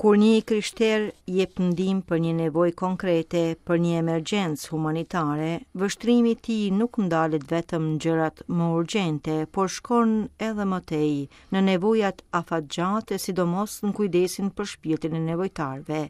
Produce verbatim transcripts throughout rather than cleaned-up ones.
Kur një i krishterë jep ndihmë për një nevojë konkrete, për një emergjencë humanitare, vështrimi i tij nuk ndalet vetëm në gjërat më urgjente, por shkon edhe më tej, në nevojat afatgjate, sidomos në kujdesin për shpirtin e nevojtarëve.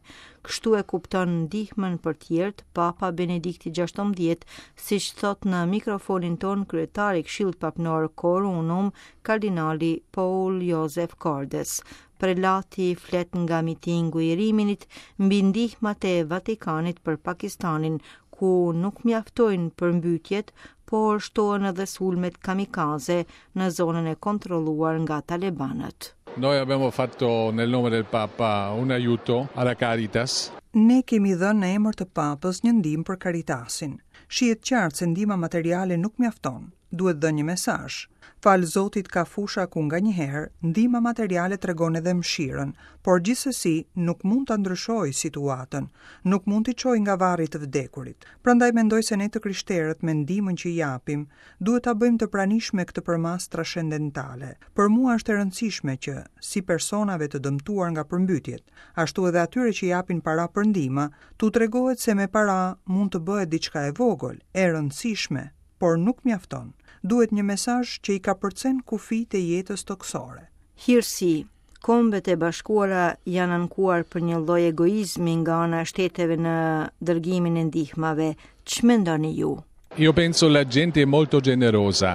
Kështu e kupton ndihmën për tjerët Papa Benedikti gjashtëmbëdhjetë, siç thot në mikrofonin ton kryetari i Këshillit Papnor Cor Unum, kardinali Paul Joseph Cordes. Prelati flet nga mitingu i Riminit mbi ndihmat e Vatikanit për Pakistanin, ku nuk mjaftojnë përmbytjet, por shtohen edhe sulmet kamikaze në zonën e kontrolluar nga talebanët. Noi abbiamo fatto nel nome del Papa un aiuto alla Caritas. Ne kemi dhënë në emër të Papës një ndihmë për Caritasin. Shihet qartë se ndihma materiale nuk mjafton, duhet dhënë një mesazh. Fal Zotit ka fusha ku nganjëherë ndihma materiale tregon edhe mëshirën, por gjithsesi nuk mund ta ndryshojë situatën, nuk mund t'i çojë nga varri të vdekurit. Prandaj mendoj se ne të krishterët me ndihmën që japim, duhet ta bëjmë të pranishme këtë përmasë transcendentale. Për mua është e rëndësishme që, si personave të dëmtuar nga përmbytjet, ashtu edhe atyre që japin para për ndihma, t'u tregohet se me para mund të bëhet diçka e vogël, e rëndësishme, por nuk mjafton. Duhet një mesazh që i kapërcen kufijtë e jetës toksore. Hirësi, Kombet e Bashkuara janë ankuar për një lloj egoizmi nga ana e shteteve në dërgimin e ndihmave. Ç'mendoni ju? Io penso la gente è molto generosa.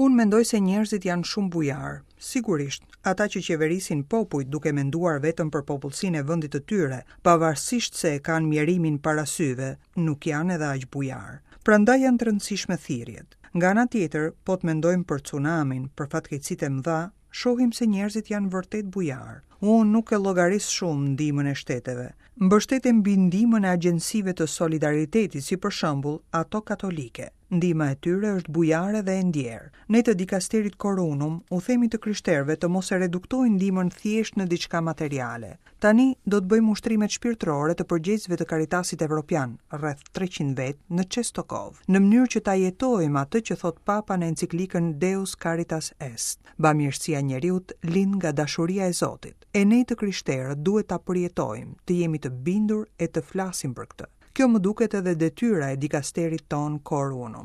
Unë mendoj se njerëzit janë shumë bujar. Sigurisht, ata që qeverisin popujt duke menduar vetëm për popullsinë e vendit të tyre, pavarësisht se e kanë mjerimin para syve, nuk janë edhe aq bujar. Prandaj janë të rëndësishme thirrjet. Nga ana tjetër, po të mendojmë për tsunamin, për fatkeqësitë e mëdha, shohim se njerëzit janë vërtet bujar. Unë nuk e llogaris shumë ndihmën e shteteve. Mbështetem mbi ndihmën e agjencive të solidaritetit, si për shembull ato katolike. Ndihma e tyre është bujare dhe e ndjerë. Ne të dikasterit Cor Unum u themi të krishterëve të mos e reduktojnë ndihmën thjesht në diçka materiale. Tani do të bëjmë ushtrimet shpirtërore të përgjegjësve të Caritasit Evropian, rreth treqind vet në Çestokov, në mënyrë që ta jetojmë atë që thot Papa në enciklikën Deus Caritas Est. Bamirësia e njeriut lind nga dashuria e Zotit. E ne të krishterët duhet ta përjetojmë, të jemi të bindur e të flasim për këtë. Kjo më duket edhe detyra e dikasterit ton Cor Unum.